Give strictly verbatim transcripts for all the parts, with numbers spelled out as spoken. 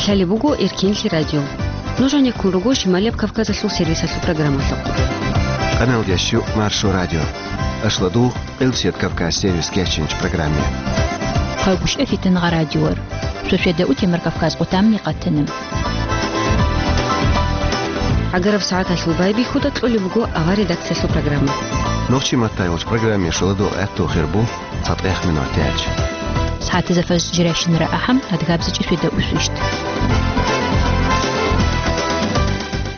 Лъалеб буго Эркенлъи радио. Нуж гьанеккун руго Шималияб Кавказалъул сервисалъул программалъухъ. Канал дящу Маршо радио. Ашладу Къилсият Кавказ сервис кечинч программе. Хъалгушев Фитангъа радиор. Шошеда утемар Кавказ къутамни къатана. Агараб сагӀаталъул байбихьуда кьолеб буго авар редакциялъул программа. Нохчи маттайвач программе шоладу гӀатту хирбу. ЦатӀех минутач. СагӀатазда фажр жирашинра ахӀам, адгабзичӀи шведа усвищ.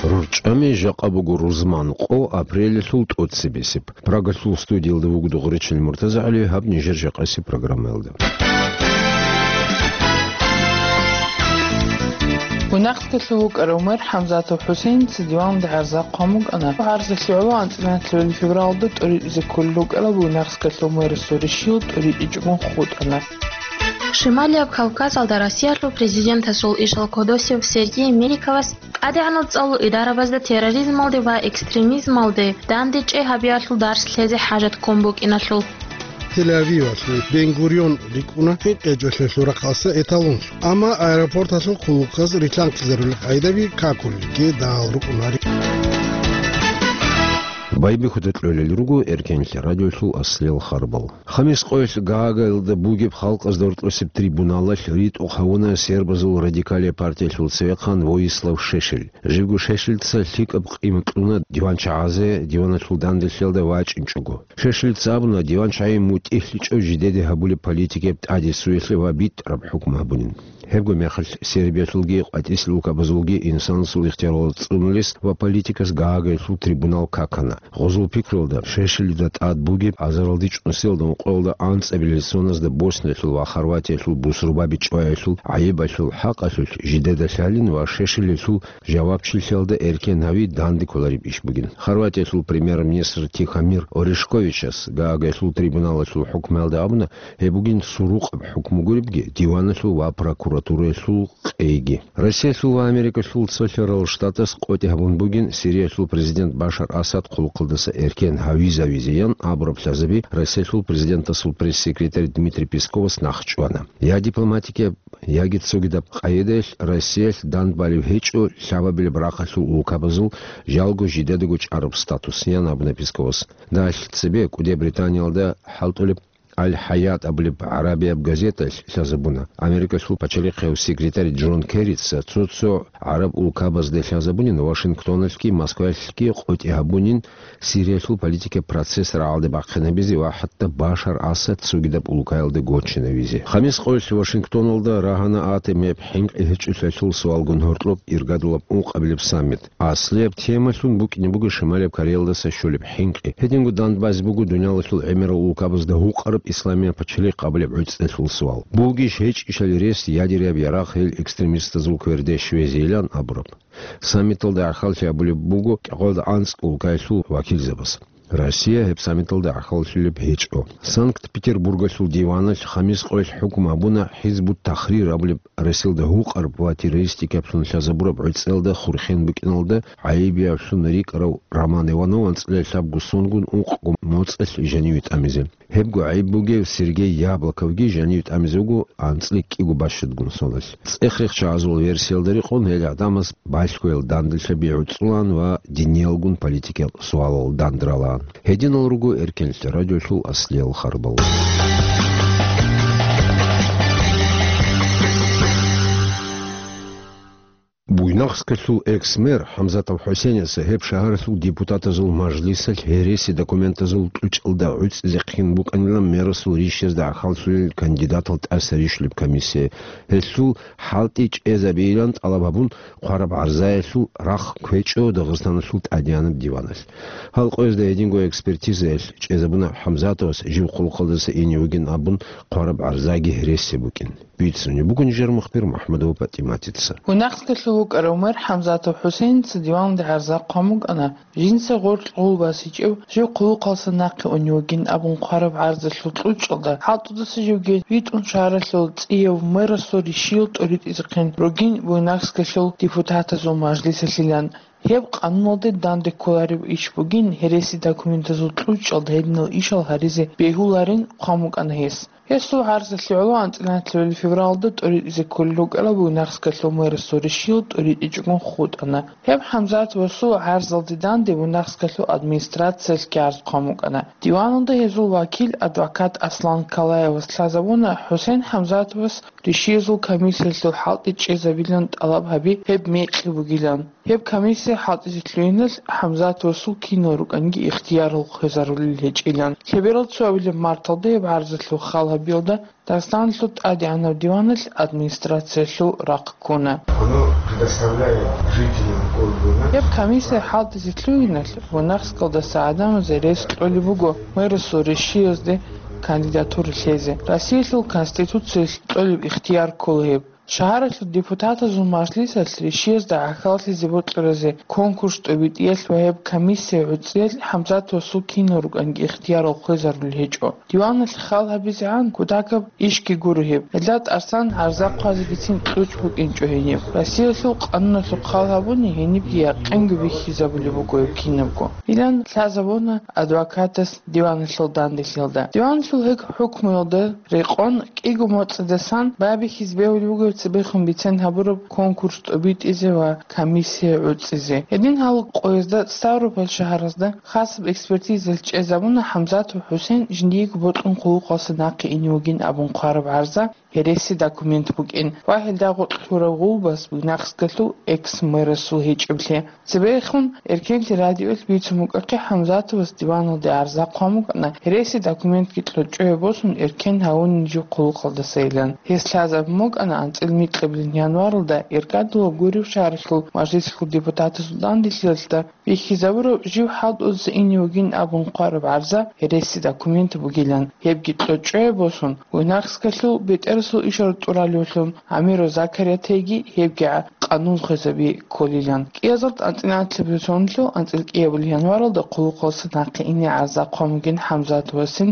РурчӀами жакъа буго рузман къо апрелалъул тӀоцебесеб. Прагалъул студиялда вуго Дугъричил МуртазагӀали, гьаб нижер жакъасеб программаялда. Гунахскалъув вукӀарав мэр ХӀамзатов ХӀусейница диванде гӀарза хъван букӀана. ГӀарзалъе гӀоло анцӀила февралда тӀоритӀизе кколел рукӀарал Гунахскалъув мэрасул ришил тӀоритӀичӀогун хутӀана. Шималияб Кавказалда Россиялъул президентасул ишал кодосев Сергей Меликовас ТӀадегӀанав цӀалул идарабазда терроризмалде ва экстремизмалде дандечӀей гьабиялъул дарс лъезе хӀажат ккун букӀиналъул. Тель-Авивалъул Бен-Гурион рикӀкӀуна хӀинкъичӀолъиялъул рахъалъа эталонлъун, амма аэропорталъул хъулухъаз рилълъанкъизарулел къайдаби какулелги дагьал рукӀунари. Байбихьуда кьолел руго Эркенлъи радиолъул аслиял харбал. Хамис къоялъ Гаагилда бугеб халкъазда гьоркьосеб трибуналалъ ритӀухъ гьавуна сербазул радикалияб партиялъул цевехъан Воислав Шешель. Живго Шешельца лъикӀаб къимат кьуна диванчагӀазе диваналъул данделъиялда вачӀинчӀого. Шешельца абуна, диванчагӀи мутӀигьлъичӀо жидеде гьабулеб политикаяб тӀадесуялъе ва битӀараб хӀукму гьабунин. Гьебго мехалъ Сербиялъулги къватӀислъи улкабазулги инсанасул ихтияр цӀунулес ва политикас Гаагиялъул трибунал какана. Гъозул пикруялда, Шешелида тӀад бугеб азаралде чӀунсиялда ункъоялда анцӀабилел соназда Босниялъул ва Хорватиялъул бусурбаби чӀваялъул гӀайибалъул хӀакъалъулъ жидеда лъалин ва Шешелиялъул жавабчилъиялда эркен гьави данде кколареб иш бугин. Хорватиялъул премьер-министр Тихомир Орешковичас Гаагиялъул трибуналалъул хӀукмуялда абуна, гьеб бугин сурукъаб хӀукму гуребги диваналъул ва прокуратураялъул къейги. Россиялъул ва Америкалъул цолъарал штатас къотӀи гьабун бугин Сириялъул президент Башар Асад хъулухъалдаса эркен гьавизавизеян абураб лъазаби Россиялъул президентасул пресс-секретарь Дмитрий Песковас нахъчӀвана. Я дипломатикияб, яги цогидаб къайдаялъ Россиялъ дандбалев гьечӀо лъабабилеб рахъалъул улкабазул жалго жидедаго чӀараб статус, ян абуна Песковас. Далъ цебе КӀуде Британиялда хӀалтӀулеб Аль-Хаят абулеб гӀарабияб газеталъ лъазабуна, Америкалъул пачалихъияв секретарь Джон Керрица цо-цо гӀараб улкабазде лъазабунин Вашингтоналъги Москвалъги къотӀи гьабунин Сириялъул политикаб процесс рагӀалде бахъинабизе ва хӀатта Башар Асад цогидаб улкаялда гочинавизе. Хамис къоялъ Вашингтоналда рагьана атомияб хӀинкъи гьечӀолъиялъул суалгун гьоркьоб иргадулаб ункъабилеб саммит. Аслияб темалъун букӀине буго Шималияб Кореялдаса щолеб хӀинкъи. Гьединго дандбазе буго дуниялалъул гӀемерал улкабазда гьукъараб исламияб пачалихъ абулеб гӀуцӀелъул суал. Бугищ гьечӀищали рес ядеряб ярагъ гьел экстремистазул кверде щвезейилан абураб. Саммиталда гӀахьаллъи абулеб буго кӀикъоялда анцӀго улкаялъул вакилзабаз. Россия гьеб саммиталда гӀахьаллъулеб гьечӀо. Санкт-Петербургалъул диваналъ хамис къоялъ хӀукму гьабуна ХӀизбут-Тахрир абулеб Россиялда гьукъараб ва террористикаблъун лъазабураб гӀуцӀелда хурхен букӀиналда гӀайибиявлъун рикӀкӀарав Роман Иванов анцӀила лъабго сонгун ункъго моцӀалъ жаниве тӀамизе. Гьебго гӀайиб бугев Сергей Яблоковги жаниве тӀамизе вуго анцӀила кӀиго бащадгун соналъ. ЦӀех-рехчагӀазул версиялда рекъон, гьел гӀадамаз балъгоял данделъаби гӀуцӀулан ва диниялгун политикиял суалал дандралан. Гьединал руго Эркенлъи радиолъул аслиял харбал. Буйнакскалъул экс-мэр ХӀамзатов ХӀусейница гьеб шагьаралъул депутатазул мажлисалъ гьереси документазул кьучӀалда гӀуцӀизехъин букӀанилан мерасул ришазда гӀахьаллъулел кандидатал тӀаса рищулеб комиссия. Гьелъул хӀалтӀи чӀезабейилан тӀалаб гьабун, хъвараб гӀарзаялъул рахъ кквечӀо Дагъистаналъул тӀадегӀанаб диваналъ. Гьал къоязда гьединго экспертизаялъ чӀезабуна ХӀамзатовас жив хъулухъалдаса ине вугин абун хъвараб гӀарзаги гьереси букӀин. Бицунеб буго нижер мухбир МухӀамадова ПатӀиматица. Гунахскалъув вукӀарав мэр ХӀамзатов ХӀусейница диванде гӀарза хъван букӀана, жинца гъоркь гъул басичӀев жив хъулухъалса нахъе унев вугин абун хъвараб гӀарзалъул кьучӀалда хӀалтӀудаса живги витӀун шагьаралъул цӀияв мэрасул ришиял тӀоритӀизехъин ругин Буйнакскалъул депутатазул мажлисалъилан. Гьеб къануналде данде кколареб иш бугин, гьереси документазул кьучӀалда гьединал ишал гьаризе бегьуларин хъван букӀана гьес. Гьесул гӀарзалъе гӀоло анцӀила февралда тӀоритӀизе кколел рукӀарал Буйнакскалъул мэрасул решил тӀоритӀичӀогун хутӀана. Гьеб ХӀамзатовасул гӀарзалде данде Буйнакскалъул администрациялъги гӀарз хъван букӀана. Диваналда гьезул вакил, адвокат Аслан Калаевас лъазабуна ХӀусен ХӀамзатовас решиязул комиссиялъул хӀалтӀи чӀезабилан тӀалаб гьаби гьеб мекъи бугилан. Гьеб комиссия хӀалтӀизе лъугьиналъ ХӀамзатовасул кинал рукӀанги ихтиярал хвезарулел гьечӀилан. Лъеберал цоабилеб марталда гьеб гӀарзалъул хал гьабиялда Дагъистаналъул тӀадегӀанав диваналъ администрациялъул рахъ ккуна. Оно предоставляет жителям города Гьеб комиссия хӀалтӀизе лъугьиналъ Буйнакскалдаса гӀадамазе рес кьолеб буго мэрасул решиязде кандидатура лъезе. Россиялъул Конституциялъ кьолеб ихтияр ккола гьеб. Шагьаралъул депутатазул мажлисалъ решиязда гӀахьаллъизе бокьаразе конкурс тӀобитӀиялъ ва гьеб комиссия гӀуцӀиялъ ХӀамзатовасул кинал рукӀанги ихтиярал хвезарулел гьечӀо. Диваналъ хал гьабизегӀан кутакаб ишги гуро гьеб. Гьелда тӀасан гӀарза хъвазегицин кьучӀ букӀинчӀо гьениб. Россиялъул къануналъухъ хал гьабуни гьенибги якъинго бихьизабулеб буго гьеб кинабго. Илан лъазабуна адвокатас диваналъул данделъиялда. Диваналъул гьеб хӀукмуялда рекъон кӀиго моцӀидасан байбихьизе бегьулеб буго цебехун бицен гьабураб конкурс тӀобитӀизе ва комиссия гӀуцӀизе. Гьедин гьал къоязда Ставрополь шагьаразда хасаб экспертизаялъ чӀезабуна ХӀамзатов ХӀусен жиндиего бокьун хъулухъалъа нахъе ине вугин абун хъвараб гӀарза гьереси документ букӀин ва гьелда гъоркь лъураб гъулбас Буйнакскалъул экс-мэрасул гьечӀеблъи. Цебехун Эркенлъи радиоялъ бицун букӀахъе ХӀамзатовас диваналде гӀарза хъван букӀана, гьереси документги кьучӀое босун эркен гьавунин жив хъулухъалдасайилан. Гьес лъазабун букӀана анцӀил микьабилин январалда Иркадулаб гуреб шагьаралъул мажлисалъул депутатасул данделъиялда бихьизабураб жив хӀалтӀузеса ине вугин абун хъвараб гӀарза гьереси документ бугилан. Гьебги кьучӀое босун, Буйнакскалъул бетӀерасул ишал тӀуралевлъун Амиров Закариятайги гьебги къанун хвезаби кколилан. КӀиазалда анцӀила анцӀабилеб сонлъул анцӀил кӀиабилеб январалда хъулухъалъа нахъе ине гӀарза хъван бугин ХӀамзатовасин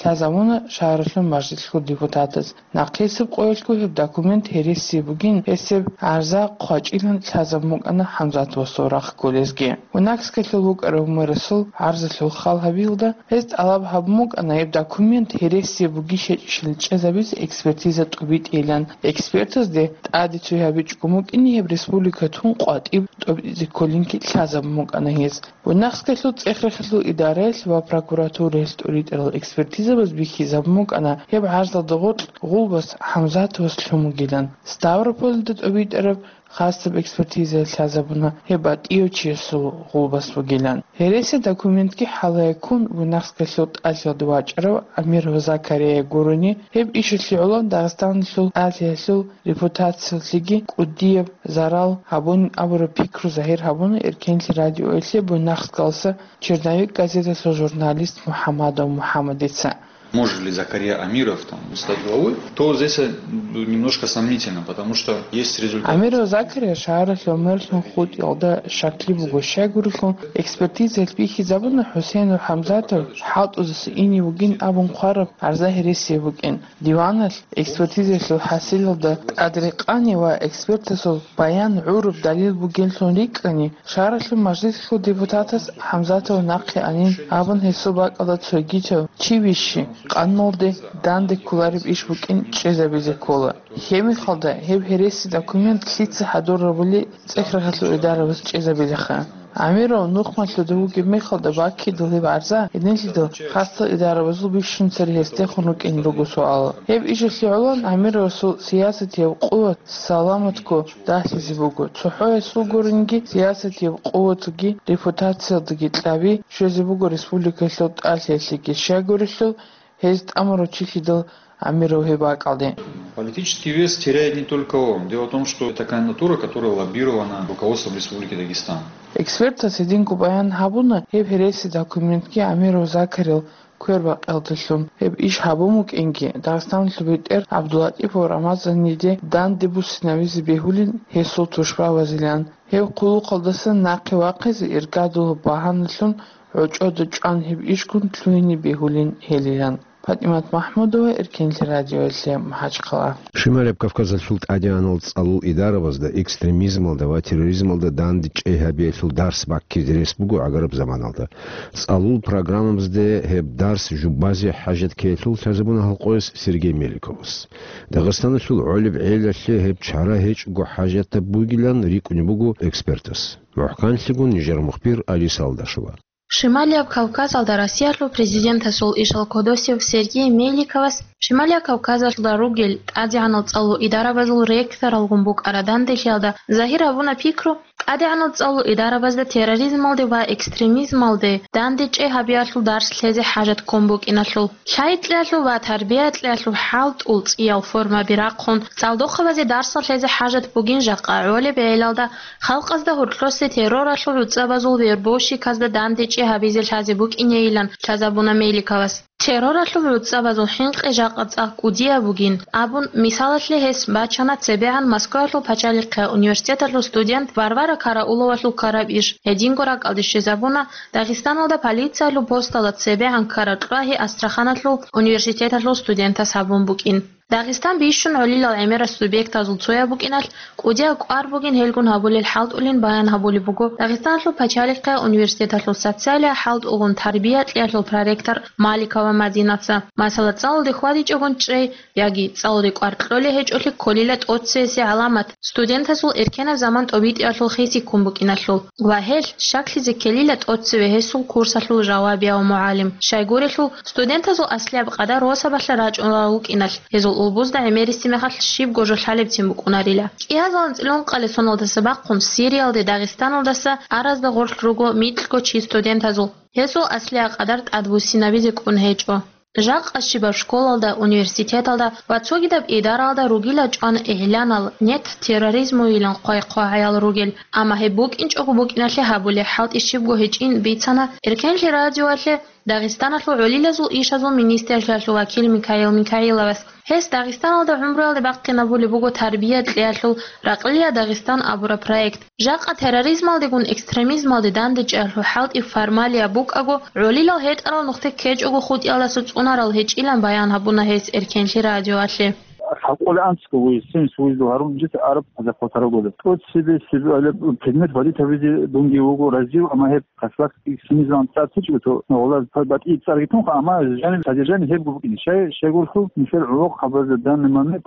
лъазабуна шагьаралъул мажлисалъул депутатаз. Нахъисеб къоялъго гьеб документ гьереси бугин, гьесеб гӀарза хъвачӀилан лъазабун букӀана ХӀамзатовасул рахъ кколезги. Буйнакскалъул вукӀарав мэрасул гӀарзалъул хал гьабиялда гьез тӀалаб гьабун букӀана гьеб документ гьереси бугищ-гьечӀищ чӀезабизе экспертиза тӀобитӀейилан. Экспертазде тӀаде цой гьабичӀого букӀине гьеб республика тун къватӀиб тӀобитӀизе кколинги лъазабун букӀана гьез. Буйнакскалъул цӀех-рехалъул идараялъ ва прокуратураялъ тӀоритӀарал экспертизабаз бихьизабун букӀана гьеб гӀарзалда гъоркь гъулбас ХӀамзатовас лъун бугилан. Ставропольда тӀобитӀараб хасаб экспертизаялъ лъазабуна гьеб батӀияв чиясул гъулбас бугилан. Гьереси документги хӀалае ккун Буйнакскалъул тӀалъиялда вачӀарав Амиров Закария гурони, гьеб ишалъе гӀоло Дагъистаналъул тӀалъиялъул репутациялъеги кӀудияб зарал гьабунин абураб пикру загьир гьабуна Эркенлъи радиоялъе Буйнакскалъа «Черновик» газеталъул журналист МухӀамадов МухӀамадица. Может ли Закария Амиров там стать главой, то здесь, э, немножко сомнительно, потому что есть результат. Амиров Закария шагьаралъул мэрлъун хутӀиялда щаклъи буго, щайгурелъул экспертизаялъ бихьизабуна ХӀусейнов ХӀамзатов хӀалтӀузеса ине вугин абун хъвараб гӀарза гьереси букӀин. Диваналъ экспертизаялъул хӀасилалда тӀадрекъани ва экспертасул баян гӀураб далил бугеллъун рикӀкӀани, шагьаралъул мажлисалъул депутатас ХӀамзатов нахъе анин абун гьесул бакӀалда цогидав чи вищи, къануналде данде кколареб иш букӀин чӀезабизе ккола. Гьеб мехалда гьеб гьереси документ лъица хӀадурабули цӀех-рахъалъул идарабаз чӀезабилаха. Амиров нухмалъуда вугеб мехалда баккидал гьеб гӀарза гьединлъидал хасал идарабазул бищун цере гьесдехун рукӀин руго суал. Гьеб ишалъе гӀоло Амировасул сиясатияб къуват саламатго дагьлъизе буго. ЦохӀо гьесул гуринги сиясатияб къуватги репутациялдаги кьаби щвезе буго республикалъул тӀалъиялъеги, щайгурелъул гьез тӀамурав чилъидал Амиров гьеб бакӀалде. Политический вес теряет не только он. Дело в том, что это кандидатура, которая лоббирована руководством Республики Дагестан. Экспертас гьединго баян гьабуна, гьеб гьереси документги Амиров Закарил квербакъиялдалъун гьеб иш гьабун букӀинги, Дагъистаналъул бетӀер ГӀабдуллатӀипов Рамазаниде данде буссинавизе бегьулин гьесул тушбабазилан. Гьеб хъулухъалдасан нахъе вахъизе иргадулаб багьаналъун гӀочӀода чӀван гьеб ишгун лъугьине бегьулин гьелилан. ПатӀимат МахӀмудова, Эркенлъи радиоялъе, МахӀачхъала. Шималияб Кавказалъул тӀадегӀанал цӀалул идарабазда экстремизмалда ва терроризмалда дандечӀей гьабиялъул дарс баккизе рес буго гӀагараб заманалда. ЦӀалул программабазде гьеб дарс жубазе хӀажат ккеялъул лъазабуна гьалкъояс Сергей Меликовас. Дагъистаналъул гӀолеб гӀелалъе гьеб чара гьечӀого хӀажатаб бугилан рикӀкӀунеб буго экспертас. МухӀканлъигун нижер мухбир Алиса Алдашева. Шималияб Кавказалда Россиялъул президентасул ишал кодосев Сергей Меликовас Шималияб Кавказалда ругел тӀадегӀанал цӀалул идарабазул ректоралгун букӀараб данделъиялда загьир гьабуна пикру, тӀадегӀанал цӀалул идарабазда терроризмалде ва экстремизмалде дандечӀей гьабиялъул дарс лъезе хӀажат ккун букӀиналъул. Лъай кьеялъул ва тарбия кьеялъул хӀалтӀул цӀиял формаби рахъун, цӀалдохъабазе дарсал лъезе хӀажат бугин жакъа гӀолеб гӀелалда халкъазда гьоркьосе терроралъул гӀуцӀабазул вербовщиказда дандечӀей гьабизе лъазе букӀинейилан лъазабуна Меликовас. Терроралъул гӀуцӀабазул хӀинкъи жакъа цӀакъ кӀудияб бугин, абун, мисалалъе гьес бачана цебегӀан Москваялъул пачалихъе университеталъул студент Варвара Карауловалъул ккараб иш, гьединго ракӀалде щвезабуна Дагъистаналда полициялъул посталда цебегӀан ккараб кьвагьи Астраханалъул университеталъул студентас гьабун букӀин. Дагъистан бищун гӀолилал гӀемерал субъектазул цояб букӀиналъ, кӀудияб кӀвар бугин гьелгун гьабулел хӀалтӀулин баян гьабулеб буго Дагъистаналъул пачалихъе университеталъул социалияб хӀалтӀугун тарбия кьеялъул проректор Маликова Мадинаца. Масала, цӀалулде хьвадичӀогун чӀей яги цӀалулде кӀвар кьолей гьечӀолъи кколила тӀоцевесеб гӀаламат, студентазул эркенаб заман тӀобитӀиялъул хиси ккун букӀиналъул. Ва гьелъ щаклъизе ккелила тӀоцеве гьесул курсалъул жавабияв мугӀалим. Щайгурелъул, студентазул аслияб къадар росабалъа рачӀунарал вукӀиналъ, гьезул улбузда гӀемериси мехалъ щибго жо лъалебцин букӀунарила. КӀиазул анцӀила ункъалил соналдаса бахъун Сириялде Дагъистаналдаса аразда гъорлъ руго микьго чи студентазул. Гьезул аслияб къадар тӀадбуссинабизе кӀун гьечӀо. Жакъа щибаб школалда, университеталда ва цогидаб идаралда ругила чӀван игӀланал, нет терроризмуйилан хъвай-хъвагӀаял ругел, амма гьеб букӀинчӀого букӀиналъе гьабулеб хӀалтӀи щибго гьечӀин бицана Эркенлъи радиоялъе Дагъистаналъул гӀолилазул ишазул министрлъиялъул вакил Микаил Микаиловас. Гьес Дагъистаналда гӀумруялде бахъинабулеб буго тарбия кьеялъул «Ракълия Дагъистан» абураб проект. Жакъа терроризмалдегун экстремизмалде дандечӀеялъул хӀалтӀи формалияб букӀаго, гӀолилал гьетӀарал нухде ккечӀого хутӀиялдаса цӀунарал гьечӀилан баян гьабуна гьес Эркенлъи радиоялъе. Лъабкъоялда анцӀго вугев, семьдесят вугев гьарун жеца араб хӀаза хъватарагода. ТӀоцебесеб гьалаб предмет валид гьабизе дунги вуго разив, амма гьеб хасбат экстремизмалъ цӀар течӀо, то гьалаб батӀи цӀарги тунха, амма жаниб содержание гьебго букӀине. Щай, щайгурелъул нилъер гӀолохъабазда данный момент,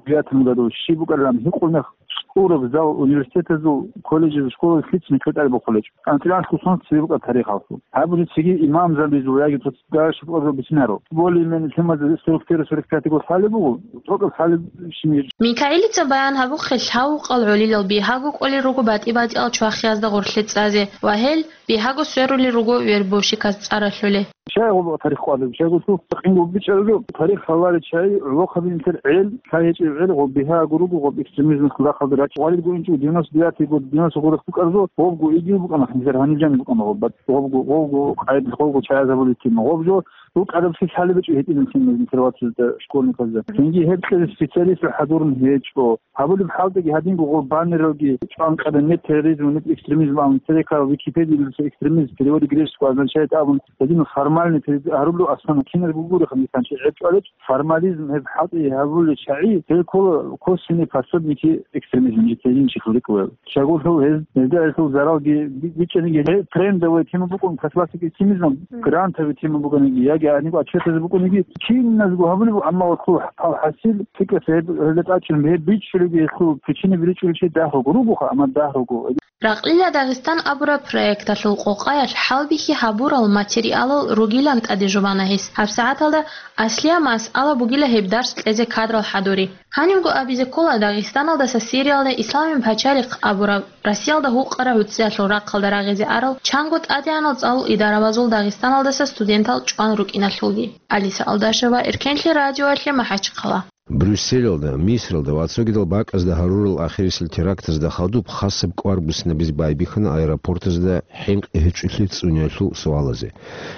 девятом году щиб букӀарилан гьикъулеб мех, ураб зал университетазул, колледжазул, школазул лъицӀни кьетӀари бохулечӀо. АнцӀила анлъго сон цебе букӀа тарихалъул. Гьабулеб цеги имамзабазул яги цо дагьа щиб къабзал бицинарал. Более-менее темазда сорок первый, сорок пятый год лъалеб буго, тӀокӀаб лъалеб щинир. Микаилица баян гьабухъе, лъавукъал гӀолилал бигьаго кӀолел руго батӀи-батӀиял чвахиязда гъорлъе цӀазе ва гьел бигьаго сверулел руго вербовщиказ цӀар ралъулел. Щай гъоб тарих къвалеб? Щайгурелъул къинго бичӀчӀараб жо, тарих лъаларел чагӀи, гӀолохъаби нилъер гӀел, лъай гьечӀеб гӀел, гъоб бигьаго руго, гъоб экстремизм хъулахъалда рачӀ гъвалил гуринчӀо, девяносто девятый год, девяносто год букӀараб жо, гъобго игил букӀана, нилъер гьаниб жаниб букӀана гъоб, гъобго, гъобго къайд, гъобго чагӀи гьабулеб тема, гъоб жо, букӀараб лъалеб гьечӀо гьитӀинаб нилъер вацазда, школьниказда. Цинги гьеб кьезе специалистал хӀадурун гьечӀо. Гьабулеб хӀалтӀиги гьадинго гъоб баннералги чӀван къеда, нет терроризма, нет экстремизма абун, церекал Википедиялъуса экстремизм в переводе греческого означает абун, гьедин формальный перевод гьарулев, аслан киназго гуреха, мисанчи гӀеб чӀвалеб, формализм гьеб хӀалтӀи гьабулел чагӀи, гьел ккола косвенные пособники экстремизма, жеца гьедин чихъ рикӀкӀуна. Щайгурелъул гьез, гьезда гьелъул заралги би-, бичӀчӀаниги, гьеб трендовая тема букӀун, классик экстремизм, грантовый тема букӀаниги, яги гьаниб отчетазе букӀаниги, киназго гьабулеб, амма гьелъул хӀа-, хӀасил, цикӀкӀаца гьеб, гьелда тӀадчӀун гьеб бичӀчӀулебги, гьелъул причина бичӀчӀулеб чи дагь руго, руго-, ругоха, амма дагь руго. «Ракълила Дагъистан» абураб проекталъул къокъаялъ хӀалбихьи гьабурал материалал ругилан тӀаде жубана гьес. ГьабсагӀаталда аслияб масъала бугила гьеб дарс кьезе кадрал хӀадури. Гьанибго абизе ккола, Дагъистаналдаса Сириялда Исламияб пачалихъ абураб, Россиялда гьукъараб гӀуцӀиялъул рахъалда рагъизе арал чанго тӀадегӀанал цӀалул идарабазул Дагъистаналдаса студентал чӀван рукӀиналъулги. Алиса Алдашева, Эркенлъи радиоялъе, МахӀачхъала. Брюсселалда, Мисралда ва цогидал бакӀазда гьарурал ахирисел терактазда хадуб хасаб кӀвар буссинабизе байбихьана аэропортазда хӀинкъи гьечӀолъи цӀуниялъул суалазе.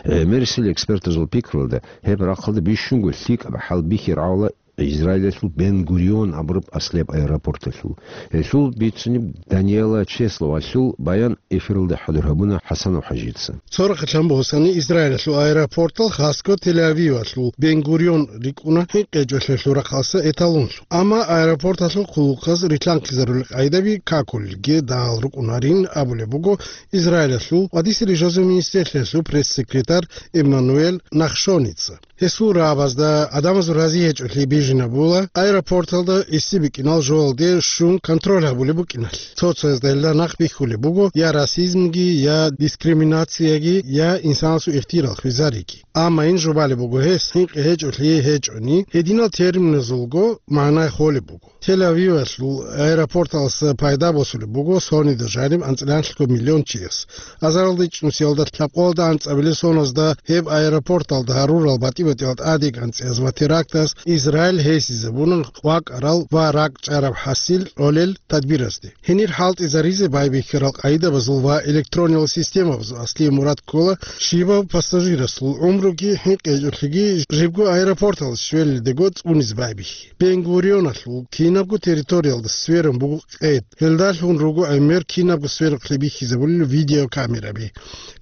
ГӀемерисел экспертазул пикруялда, гьеб рахъалда бищунго лъикӀаб хӀалбихьи рагӀула Израилалъул Бен-Гурион абураб аслияб аэропорталъул. Гьелъул бицунеб Даниэла Чесловалъул баян эфиралда хӀадур гьабуна ХӀасанов ХӀажица. Цо рахъалъан босани, Израилалъул аэропортал хасго Тель-Авивалъул Бен-Гурион рикӀкӀуна хӀинкъичӀолъиялъул рахъалъа эталонлъун. Амма аэропорталъул хъулухъаз рилълъанхъизарулел къайдаби какулелги дагьал рукӀунарин абулеб буго Израилалъул ва Дисри жозу министрлъиялъул пресс-секретарь Эммануэль Нахшоница. Гьесул рагӀабазда гӀадамазул рази гьечӀолъи бижинабула аэропорталда гӀиси бикӀинал жоялде щун контроль гьабулеб букӀиналъ. Цо-цоязда гьелда нахъ бихьулеб буго я расизмги, я дискриминацияги, я инсанасул ихтияр хвезариги. Амма ин жубалеб буго гьес, хӀинкъи гьечӀолъи гьечӀони, гьединал терминазулго магӀна холеб буго. Тель-Авивалъул аэропорталъа пайда босулеб буго сонида жаниб анцӀила лъабго миллион чияс. Азаралда ичӀнусиялда лъабкъоялда анцӀабилеб соназда гьеб аэропорталда гьарурал батӀи-батӀиял тӀадегӀанцӀияз ва терактаз Израиль гьесизабуна вакӀарал ва ракӀчӀараб хӀасил кьолел тадбиразде. Гьенир хӀалтӀизаризе байбихьарал къайдабазул ва электрониял системабазул аслияб мурад ккола щибаб пассажирасул гӀумруги хӀинкъичӀолъиги жибго аэропорталде щвелалдего цӀунизе байбихьи. Бен-Гурионалъул кинабго территориялда сверун буго къед. Гьелдалъун руго гӀемер кинабго сверухълъи бихьизабулел видеокамераби.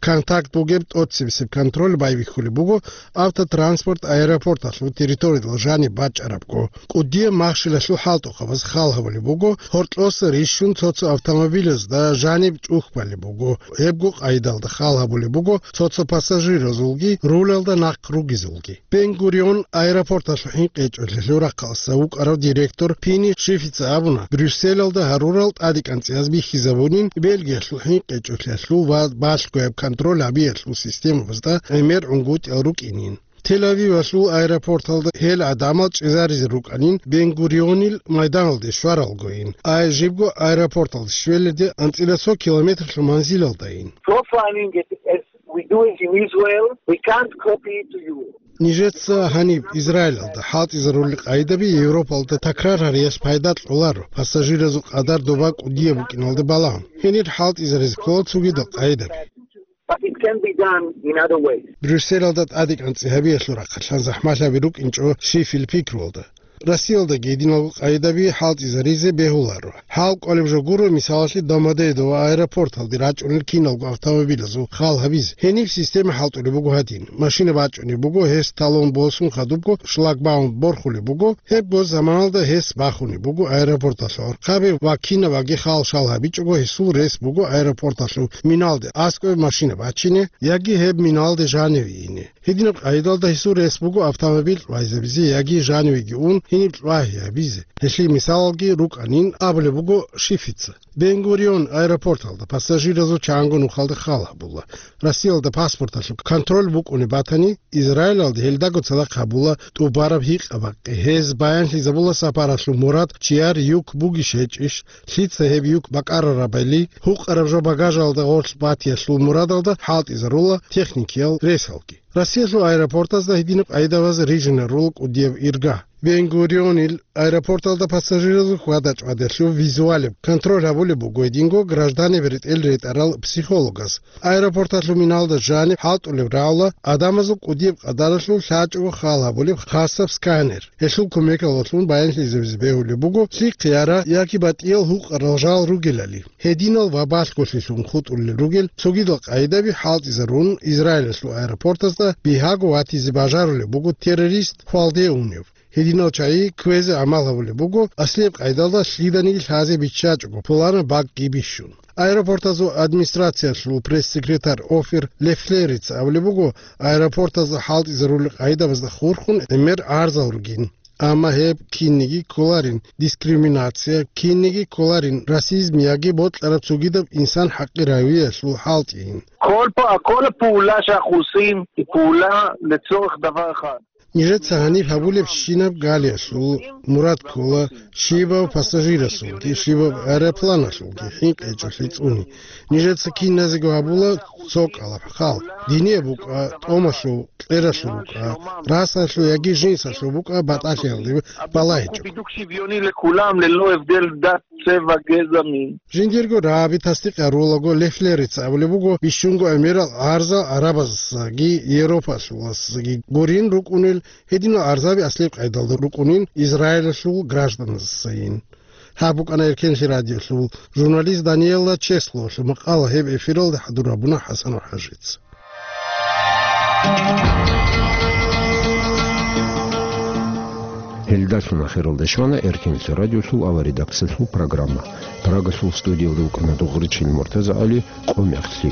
Контакт бугеб тӀоцебесеб контроль байбихьулеб буго автотранспорт аэропорталъул территориялда жаниб бачӀарабго. КӀудияб махщелалъул хӀалтӀухъабаз хал гьабулеб буго, гьоркьоса рищун цо-цо автомобилазда жаниб чӀухь балеб буго. Гьебго къайдалда хал гьабулеб буго цо-цо пассажиразулги рулалда нахъ ругезулги. Бен-Гурион аэропорталъул хӀинкъичӀолъиялъул рахъалъа вукӀарав директор Пини Шифица абуна, Брюсселалда гьарурал тӀадегӀанцӀияз бихьизабунин Бельгиялъул хӀинкъичӀолъиялъул ва балъгояб контроль гьабиялъул системабазда гӀемер гӀунгутӀиял рукӀинин. Тель-Авивалъул аэропорталда гьел гӀадамал чӀезаризе рукӀанин Бен-Гурионил майданалде щваралгойин, ай жибго аэропорталде щвелалде анцӀила цо километрлъун манзилалдайин. So finding it as we do it in Israel, we can't copy it to you. Нижеца гьаниб Израилалда хӀалтӀизарулел къайдаби Европалда такрар гьариялъ пайда кьоларо, пассажиразул къадар доба кӀудияб букӀиналда балагьун. Гьенир хӀалтӀизаризе ккола цогидал къайдаби. But it can be done in other ways. Брюсселалда тӀадегӀанцӀи гьабиялъул рахъалъан захӀмалъаби рукӀинчӀо щиб пикруялда. Россиялдаги гьединалго къайдаби хӀалтӀизаризе бегьуларо. ХӀал кӀолеб жо гуро, мисалалъе, Домодедово аэропорталде рачӀунел киналго автомобилазул хал гьабизе. Гьениб система хӀалтӀулеб буго гьадин. Машина бачӀунеб буго, гьес талон босун хадубго шлагбаум борхулеб буго, гьебго заманалда гьес бахунеб буго аэропорталъул гӀорхъаби ва кинабаги хал-шал гьабичӀого гьесул рес буго аэропорталъул миналде аскӀове машина бачине яги гьеб миналде жаниве ине. Гьединаб къайдалда гьесул рес буго автомобиль кьвайзабизе яги жанивеги ун гьениб кьвагьи гьабизе. Гьелъие мисалалги рукӀанин абулеб буго Шифица. Бен-Гурион аэропорталда пассажиразул чанго нухалда хал гьабула. Россиялда паспорталъул контроль букӀунеб батани, Израилалде гьелдаго цадахъ гьабула тӀубараб гьикъаб бакъи. Гьез баянлъизабула сапаралъул мурад чияр юк бугищ гьечӀищ, лъица гьеб юк бакӀарарабали, гьукъараб жо багажалда гъорлъ батиялъул мурадалда хӀалтӀизарула техникиял ресалги. Россиялъул аэропортазда гьединаб къайдабаз рижинарула кӀудияб ирга. Бен-Гурионил аэропорталда пассажиразул хьвада-чӀвадалъул визуалеб контроль гьабулеб буго гьединго гражданиб ретӀел ретӀарал психологаз. Аэропорталъул миналда жаниб хӀалтӀулеб рагӀула гӀадамазул кӀудияб къадаралъул лъачӀого хал гьабулеб хасаб сканер. Гьелъул кумекалдалъун баянлъизабизе бегьулеб буго лъихъе ара яги батӀиял гьукъарал жал ругелали. Гьединал ва балъголъилъун хутӀулел ругел цогидал къайдаби хӀалтӀизарун, Израилалъул аэропортазда бигьаго ватизе бажарулеб буго террорист хвалде унев. Гьединал чагӀи кквезе гӀамал гьабулеб буго аслияб къайдалда лъиданиги лъазе биччачӀого пуланаб бакӀги бищун. Аэропортазул администрациялъул пресс-секретарь Офир Лефлерица абулеб буго, аэропортазда хӀалтӀизарулел къайдабазда хурхун гӀемер гӀарзал ругин. Амма гьеб кинниги кколарин дискриминация, кинниги кколарин расизм яги бокьараб цогидаб инсан хӀакъи равиялъул хӀалтӀийин. כל פ-, כל הפעולה שאנחנו עושים היא פעולה לצורך דבר אחד. Нижеца гьаниб гьабулебщинаб галиялъул мурад ккола щибаб пассажирасулги, щибаб аэропланалъулги хӀинкъичӀолъи цӀуни. Нижеца киназего гьабула цо кӀалаб хал. Динияб букӀа, тӀомалъул, кьералъул букӀа, расалъул яги жинсалъул букӀа батӀалъиялде балагьичӀо. בידוק שוויוני לכולם ללא הבדל דת, Цевагезами. Жиндирго рагӀаби тасдикъ гьарулаго, Лефлерица абулеб буго, бищунго гӀемерал гӀарзал гӀарабазги Европалъуласги гурин рукӀунел, гьединал гӀарзаби аслияб къайдалда рукӀунин Израилалъул гражданасдасайин. Гьаб букӀана Эркенлъи радиолъул журналист Даниэла Чеслолъул макъала, гьеб эфиралда хӀадур гьабуна ХӀасанов ХӀажица. Гьелдалъун ахиралде щвана Эркенлъи радиолъул авария редакциялъул программа. Прагалъул студиялда вукӀана Дугъричил МуртазагӀали. Къо мехлъи.